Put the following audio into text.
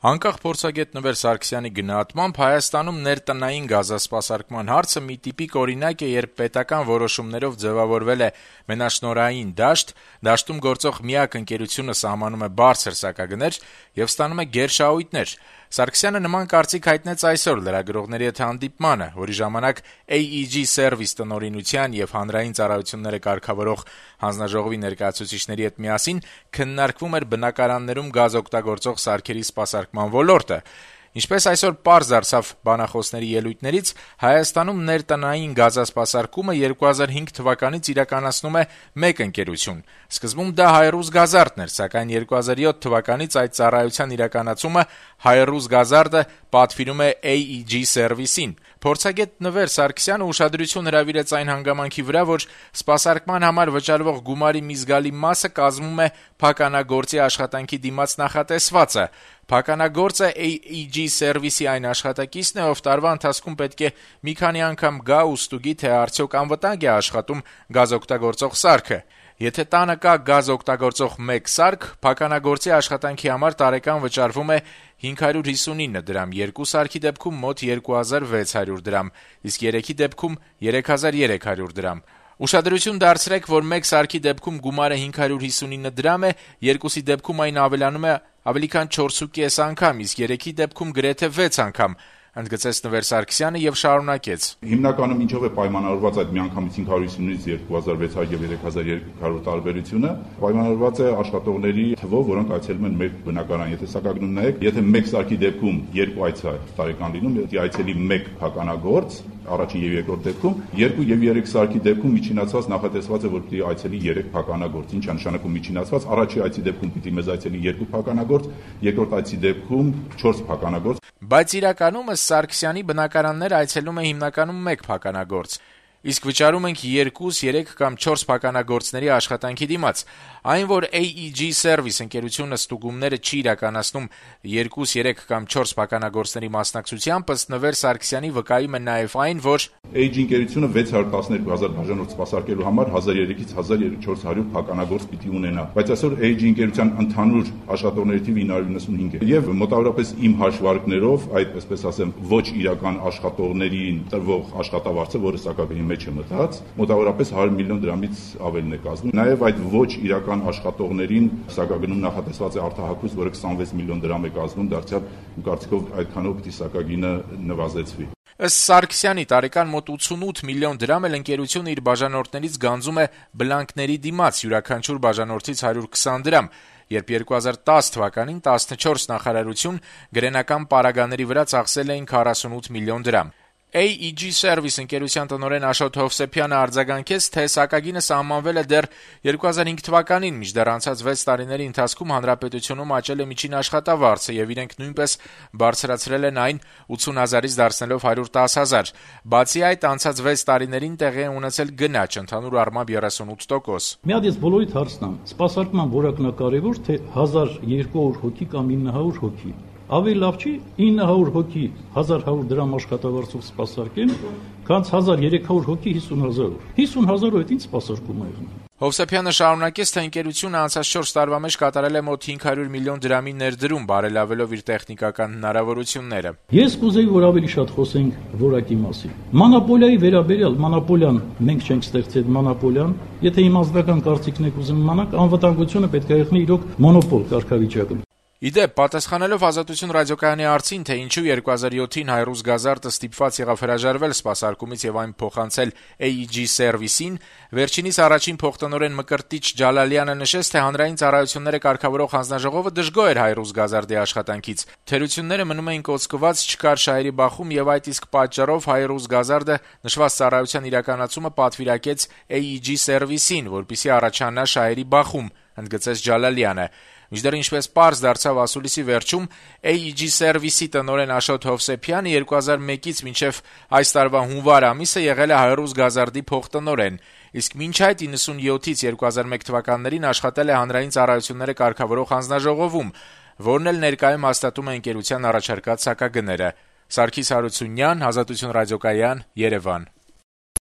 Անկախ փորձագետ Նվեր Սարգսյանի գնահատմամբ Հայաստանում ներտնային գազասպասարկման հարցը մի տիպիկ օրինակ է, երբ պետական որոշումներով ձևավորվել է մենաշնորհային դաշտ, դաշտում գործող միակ ընկերությունը սահմանում է բարձր սակագներ եւ ստանում է գերշահույթներ։ Սարգսյանը նման կարծիք հայտնեց այսօր լրագրողների հետ հանդիպմանը, որի ժամանակ AEG Service տնօրինության եւ հանրային ծառայությունները կարգավորող հանձնաժողովի ներկայացուցիչների հետ միասին քննարկվում էր բնակարաններում գազ օգտագործող սարքերի սպասարկման ոլորտը։ Ինչպես այսօր պարզ դարձավ բանախոսների ելույթներից, Հայաստանում ներտնային գազասպասարկումը 2005 թվականից իրականացնում է մեկ ընկերություն։ Սկզբում դա Հայրուզ Գազարդն էր, սակայն 2007 թվականից այդ ծառայության իրականացումը Հայրուզ Գազարդը պատվիրում է AEG Service-ին։ Փորձագետ Նվեր Սարգսյանը ուշադրություն հրավիրեց այն հանգամանքի վրա, որ սպասարկման համար վճարվող գումարի մի զգալի մասը կազմում է փականագործի աշխատանքի դիմաց նախատեսվածը։ Փականագործը AEG Service-ի այն աշխատակիցն է, ով տարվա ընթացքում պետք է մի քանի անգամ գա ու ստուգի, թե արդյոք անվտանգ է աշխատում գազ օգտագործող սարքը։ Եթե տանը կա գազ օգտագործող մեկ սարք, փականագործի աշխատանքի համար տարեկան վճարվում է 559 դրամ, երկու սարքի դեպքում մոտ 2600 դրամ, իսկ երեքի դեպքում 3300 դրամ։ Ուշադրություն դարձրեք, որ մեկ սարքի դեպքում գումարը 559 դրամ է, երկուսի դեպքում այն ավելանում է ավելի քան 4.5 անգամ, իսկ երեքի դեպքում գրեթե 6 անգամ, ընդգծեց Նվեր Սարգսյանը եւ շարունակեց. Հիմնականում ինչով է պայմանավորված այդ միանգամից 559-ից 2600 եւ 3200 տարբերությունը, պայմանավորված է աշխատողների թվով, որոնք այցելում են մեր բնակարան։ Եթե սակագնում նայեք, եթե մեկ սարքի դեպքում 2 այց է տարեկան լինում, եթե այցելի 1 փականագործ, առաջին եւ երկրորդ դեպքում 2 եւ 3 սարքի դեպքում միջինացված նախատեսված է, որ պիտի այցելի 3 փականագործ։ Ինչ է նշանակում միջինացված? Առաջի այցի դեպքում պիտի մեզ այցելի 2 փականագործ, երկրորդ այցի դեպքում 4 փականագործ։ Բայց իրականում Սարգսյանի բնակարաններ այցելում է հիմնականում 1 փականագործ, իսկ վճարում ենք 2, 3 կամ 4 փականագործների աշխատանքի դիմաց։ Այն, որ AEG Service ընկերությունը ստուգումները չի իրականացնում 2, 3 կամ 4 փականագործների մասնակցությամբ, ըստ Նվեր Սարգսյանի վկայում է նաև այն, որ AEG ընկերությունը 612,000 բաժանորդ սպասարկելու համար 1003-ից 1400 փականագործ պիտի ունենա, բայց այսօր AEG ընկերության ընդհանուր աշխատողների թիվը 995 է։ Եվ մոտավորապես իմ հաշվարկներով, այդ այսպես ասեմ, ոչ իրական աշխատողներին տրվող աշխատավարձը, որը սակագնի մեջ է մտած, մոտավորապես 100 միլիոն դրամից ավելն է կազմում։ Նաև այդ ոչ իրական աշխատողներին սակագնում նախատեսված է արտահայտություն, որը 26 միլիոն դրամ է կազմում, դարձյալ իմ կարծիքով այդքանով պիտի սակագինը նվազեցվի։ Ըստ Սարգսյանի տարեկան մոտ 88 միլիոն դրամ էլ ընկերությունը իր բաժանորդներից գանձում է բլանկների դիմաց, յուրաքանչյուր բաժանորդից 120 դրամ, երբ 2010 թվականին 14 նախարարություն գրենական պարագաների վրա ծախսել էին 48 միլիոն դրամ։ AEG Service ընկերության տնօրեն Աշոտ Հովսեփյանը արձագանքեց, թե սակագինը սահմանվել է դեռ 2005 թվականին, մինչդեռ անցած 6 տարիների ընթացքում հանրապետությունում աճել է միջին աշխատավարձը եւ իրենք նույնպես բարձրացրել են այն 80,000-ից դարձնելով 110,000։ Բացի այդ, անցած 6 տարիներին տեղի է ունեցել գնաճ, ընդհանուր առմամբ 38%։ Մի հատ ես բոլորիդ հարցնամ, սպասարկման որակն է կարևոր, թե 1200 հոգի կամ 900 հոգի։ Ավելի լավ չի 900 հոգի 1100 դրամ աշխատավարձով սպասարկեն, քան 1300 հոգի 50,000։ 50,000-ով այդ ինչ սպասարկում է եղնում։ Հովսեփյանը շարունակեց, թե ընկերությունը անցած 4 տարվա մեջ կատարել է մոտ 500 միլիոն դրամի ներդրում, բարելավելով իր տեխնիկական հնարավորությունները։ Ես կուզեի, որ ավելի շատ խոսենք որակի մասին։ Մոնոպոլիայի վերաբերյալ, մոնոպոլիան մենք չենք ստեղծել մոնոպոլիան, եթե իմ ազգական կարծիքն եք ուզում իմանալ, անվտանգությունը պետք է եղնի իրոք մոնոպոլ կարգավիճակում։ Իդեպ, պատասխանելով Ազատություն ռադիոկայանի հարցին, թե ինչու 2007-ին Հայրուզ Գազարդը ստիպված եղավ հրաժարվել սպասարկումից եւ այն փոխանցել AEG Service-ին, վերջինիս առաջին փոխտնօրեն Մկրտիչ Ջալալյանը նշեց, թե հանրային ծառայությունները կարգավորող հանձնաժողովը դժգոհ էր Հայրուզ Գազարդի աշխատանքից։ Թերությունները մնում էին կոծկված, չկար շահերի բախում եւ այդ իսկ պատճառով Հայրուզ Գազարդը նշված ծառայության իրականացումը պատվիրակեց AEG Service-ին, որպեսզի առաջանա շահերի բախում, ընդգծեց Ջալալյանը։ Մինչդեռ ինչպես պարզ դարձավ ասուլիսի վերջում, AEG Service-ի տնօրեն Աշոտ Հովսեփյանը 2001-ից մինչև այս տարվա հունվար ամիսը եղել է Հայրուզ Գազարդի փոխտնօրեն, իսկ մինչ այդ 97-ից 2001 թվականներին աշխատել է հանրային ծառայությունները կարգավորող հանձնաժողովում, որն էլ ներկայում հաստատում է ընկերության առաջարկած սակագները։ Սարգիս Հարությունյան, Ազատություն ռադիոկայան, Երևան։